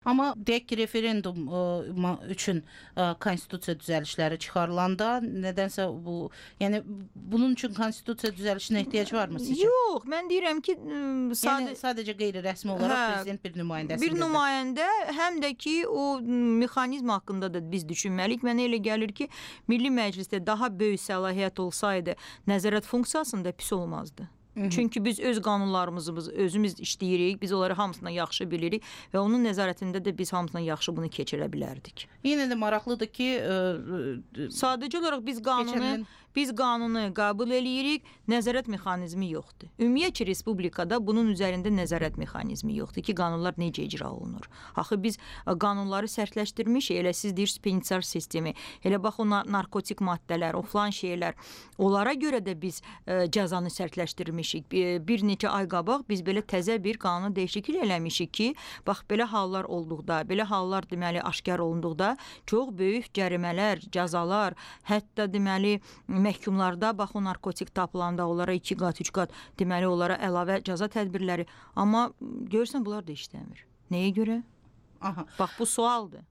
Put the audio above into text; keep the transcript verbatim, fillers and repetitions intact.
Amma deyək ki, referendum ə, ma- üçün ə, konstitusiya düzəlişləri çıxarılanda nədənsə bu, yəni bunun üçün konstitusiya düzəlişinə ehtiyac varmı sizcə? Yox, mən deyirəm ki, ım, Yəni sadə sadəcə qeyri-rəsmi olaraq Hə, prezident bir nümayəndəsi bir nümayəndə, həm də ki, o m, mexanizm haqqında da biz düşünməliyik. Mənə elə gəlir ki, Milli Məclisdə daha böyük səlahiyyət olsaydı, nəzarət funksiyasında pis olmazdı. Çünki biz öz qanunlarımızı biz özümüz işləyirik, biz onları hamısına yaxşı bilirik və onun nəzarətində də biz hamısına yaxşı bunu keçirə bilərdik. Yenə də maraqlıdır ki, ə, Sadəcə olaraq biz qanunu Keçən il- biz qanunu qəbul eləyirik, nəzarət mexanizmi yoxdur. Ümumiyyətcə respublikada bunun üzərində nəzarət mexanizmi yoxdur ki, qanunlar necə icra olunur. Axı biz ə, qanunları sərtləşdirmişik. Elə siz deyirsiniz penitensiar sistemi, elə bax o nar- narkotik maddələr, o filan şeylər. Onlara görə də biz ə, cəzanı sərtləşdirmişik. Bir, bir neçə ay qabaq biz belə təzə bir qanun dəyişiklik eləmişik ki, bax belə hallar olduqda, belə hallar deməli aşkar olunduqda çox böyük cərimələr, cəzalar, hətta deməli məhkumlarda bax o narkotik tapılanda onlara iki qat, üç qat deməli onlara əlavə cəza tədbirləri. Amma görürsən bunlar da işləmir. Nəyə görə? aha. Bax bu sualdır.